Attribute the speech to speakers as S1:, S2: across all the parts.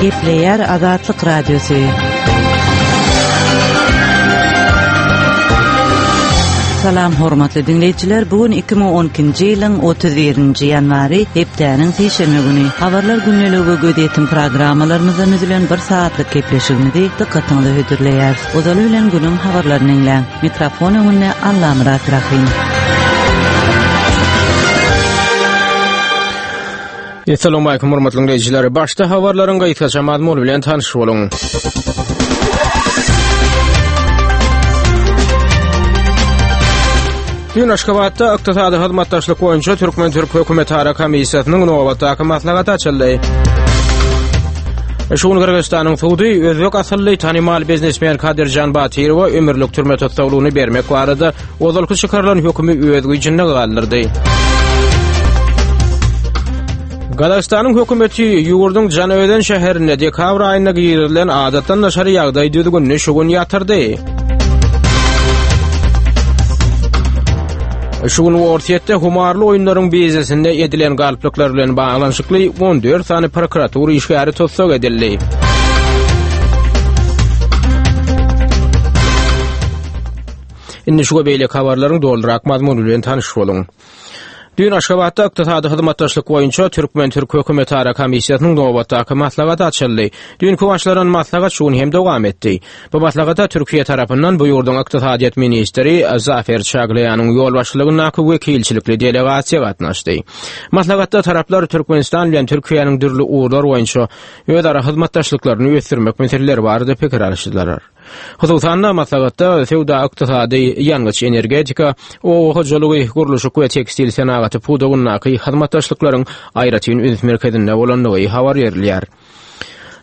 S1: Gepleýär Azatlyk Radiosy. Salam hormatly diňleýjiler, bu gün 2012-nji ýylyň 31-nji ýanwary, hepdäniň sişenbe güni. Habarlar gündeligi we gözýetim programmalarymyzdan düzülen bir sagatlyk gepleşigimizi dykgatyňyza hödürleýäris. Ozaly bilen günüň habarlaryny diňläň. Mikrofon öňünde Allamyrat Rahym.
S2: Assalamualaikum hormatly dinleýjiler. Başda habarlaryň gysgaça mazmuny bilen tanyş boluň. Dün Aşgabatda ykdysady hyzmatdaşlyk boýunça Türkmen-türk hökümetara komissiýasynyň nobatdaky maslahaty açyldy. Şu gün Gyrgyzystanyň sudy özbek asylly tanymal biznesmen Kadirjan Batyrowa ömürlik türme tussaglygyny bermek barada ozalky çykarylan hökümi öz güýjünde galdyrdy. Gazagystanyň hökümeti ýurduň Janaözen şäherinde dekabr aýynda girizilen adatdan daşary ýagdaý düzgünini şu gün ýatyrdy. Şu gün Orsýetde humarly oýunlaryň biznesinde edilen galplyklar bilen baglanyşykly 14 sany prokuratura işgäri tussag edildi. Indi şu we beýleki habarlaryň dolurak mazmuny bilen tanyş boluň. Düýn Aşgabatda ykdysady hyzmatdaşlyk boýunça türkmen-türk hökümetara komissiýasynyň nobatdaky maslahaty açyldy. Düýnki başlanan maslahat şu gün hem dowam etdi. Bu maslahata Türkiýe tarapyndan bu ýurduň ykdysadyýet ministri Zafer Çaglaýanyň ýolbaşçylygyndaky wekilçilikli delegasiýa gatnaşdy. Maslahatda taraplar Türkmenistan bilen Türkiýäniň dürli ugurlar boýunça özara hyzmatdaşlyklaryny ösdürmek meseleleri barada pikir alyşdylar. Hususan-da, maslahatda söwda-ykdysady, ýangyç-energetika, oba hojalygy, gurluşyk we tekstil senagaty pudagyndaky hyzmatdaşlyklaryň aýratyn üns merkezinde bolandygy habar berilýär.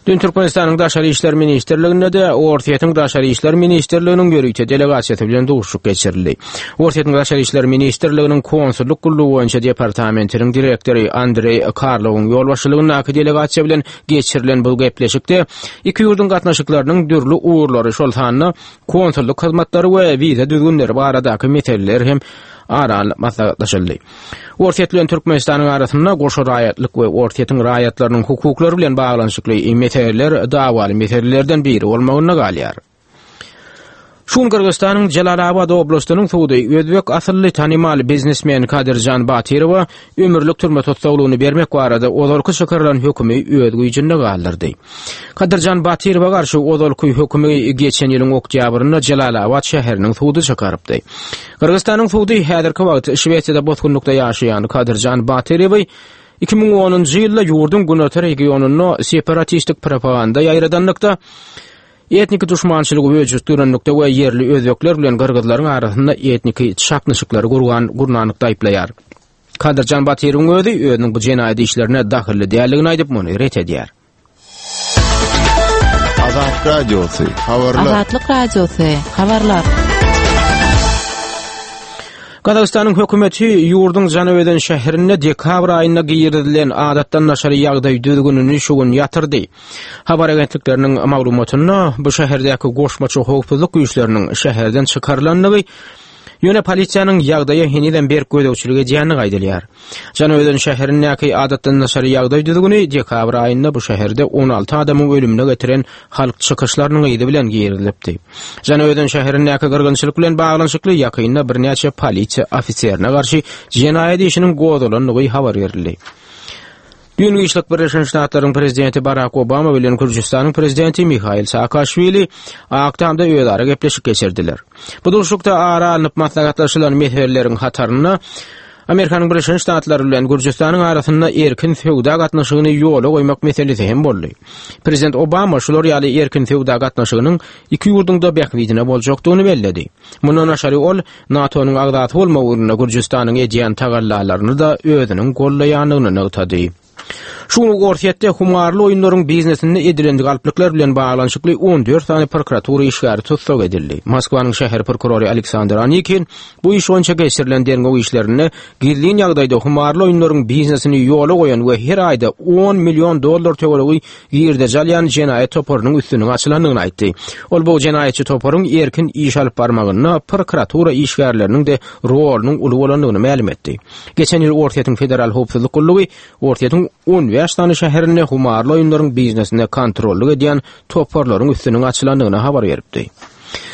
S2: Dün Türkmenistanyň Daşary işler ministrliginde-de Orsýetiň Daşary işler ministrliginiň ýörite delegasiýasy bilen duşuşyk geçirildi. Orsýetiň Daşary işler ministrliginiň konsullyk gullugy boýunça departamentiniň direktory Andreý Karlowyň ýolbaşçylygyndaky delegasiýa bilen Geçirilen bu gepleşikde iki ýurduň gatnaşyklarynyň dürli ugurlary, şol sanda konsullyk hyzmatlary we wiza düzgünleri baradaky meseleler hem ara alnyp maslahatlaşyldy. Orsýet bilen Türkmenistanyň arasynda goşa raýatlyk we Orsýetiň raýatlarynyň hukuklary bilen baglanyşykly meseleler dawaly meselelerden biri bolmagynda galýar. Şu gün Gyrgyzystanyň Jelalabat oblastynyň sudy özbek asylly tanymal biznesmen Kadirjan Batyrowa ömürlik türme tussaglygyny bermek barada ozalky çykarylan hökümi öz güýjünde galdyrdy. Kadirjan Batyrowa garşy ozalky hökümi geçen ýylyň oktýabrynda Jelalabat şäheriniň sudy çykarypdy. Gyrgyzystanyň sudy häzirki wagt Şwesiýada bosgunlykda ýaşaýan Kadirjan Batyrowy 2010-njy ýylda ýurduň günorta regionynda separatistik propaganda ýaýradanlykda Etniki duşmançylygy öjükdirenlikde we ýerli özbekler bilen gyrgyzlaryň arasynda etniki çaknyşyklary gurgan gurnanlykda aýyplaýar. Kadyrjan Batyrowyň özi özüniň bu jenaýat işlerine dahylly däldigini aýdyp, muny ret edýär.
S3: Azatlyk Radiosy, habarlar.
S1: Azatlyk Radiosy, habarlar.
S2: Gazagystanyň hökümeti ýurduň Janaözen şäherinde dekabr aýynda girizilen adatdan daşary ýagdaý düzgünini şu gün ýatyrdy. Habar agentlikleriniň maglumatynda bu şäherdäki goşmaça howpsuzlyk güýçleriniň şäherden çykarylandygy, ýöne polisiýanyň ýagdaýa henizem berk gözegçilik edýändigi aýdylýar. Janaözen şäherindäki adatdan daşary ýagdaý düzgüni dekabr aýynda bu şäherde 16 adamyň ölümine getiren halk çykyşlarynyň yzy bilen girizilipdi. Janaözen şäherindäki gyrgynçylyk bilen baglanyşykly ýakynda birnäçe polisiýa ofiserine garşy jenaýat işiniň gozgalandygy habar berildi. Düýn giçlik Birleşen Ştatlaryň prezidenti Barak Obama bilen Gürjüstanyň prezidenti Mihail Saakaşwili Ak Tamda özara gepleşik geçirdiler. Bu duşuşykda ara alnyp maslahatlaşylan meseleleriň hatarynda Amerikanyň Birleşen Ştatlary bilen Gürjüstanyň arasynda erkin söwda gatnaşygyny ýola goýmak meselesi hem boldy. Prezident Obama şular ýaly erkin söwda gatnaşygynyň iki ýurduň-da bähbidine boljakdygyny belledi. Mundan daşary ol NATO-nyň agzasy bolmak ugrunda Gürjüstanyň edýän tagallalaryny-da özüniň goldaýandygyny nygtady. Şu gün Orsýetde humarly oýunlaryň biznesinde edilen galplyklar bilen baglanyşykly 14 sany prokuratura işgäri tussag edildi. Moskwanyň şäher prokurory Aleksandr Anikin bu iş boýunça geçirilen derňew işlerinde gizlin ýagdaýda humarly oýunlaryň biznesini ýola goýan we her aýda on million dollar töweregi girdeji alýan jenaýat toparynyň üstüniň açylandygyny aýtdy. Ol bu jenaýatçy toparyň erkin iş alyp barmagynda prokuratura işgärleriniň-de rolunyň uly bolandygyny mälim etdi. Geçen ýyl Orsýetiň Federal howpsuzlyk gullugy Orsýetiň 15. 25 sany şäherinde humarly oýunlaryň biznesine kontrollyk edýän toparlaryň üstüniň açylandygyny habar beripdi.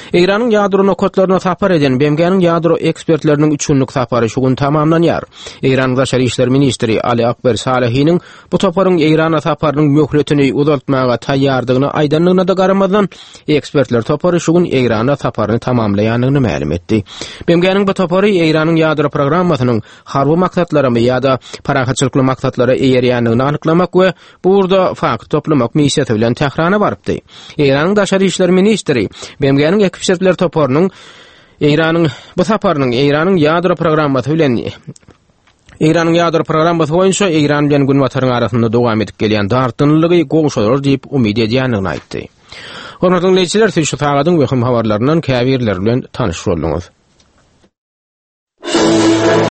S2: Eýranyň ýadro nokatlaryna sapar eden BMG-niň ýadro ekspertleriniň üç günlük sapary şu gün tamamlanýar. Eýranyň daşary işler ministri Ali Akber Salehiniň bu toparyň Eýrana saparynyň möhletini uzaltmaga taýýardygyny aýdandygyna-da garamazdan, ekspertler topary şu gün Eýrana saparyny tamamlaýandygyny mälim etdi. BMG-niň bu topary Eýranyň ýadro programmasynyň harby maksatlaramy ýa-da parahatçylykly maksatlara eýerýändigini anyklamak we bu ugurda fakt toplamak missiýasy bilen Tährana barypdy. Eýranyň daşary işler ministri BMG-niň ekspertler toparynyň Eýranyň bu saparynyň Eýranyň ýadro programmasy bilen Eýranyň ýadro programmasy boýunça Eýran bilen Günbataryň arasynda dowam edip gelýän dartgynlylygy gowşadar diýip umyt edýändigini aýtdy. Hormatly diňleýjiler, siz şu sagadyň möhüm habarlaryndan käbirleri bilen tanyş bolduňyz.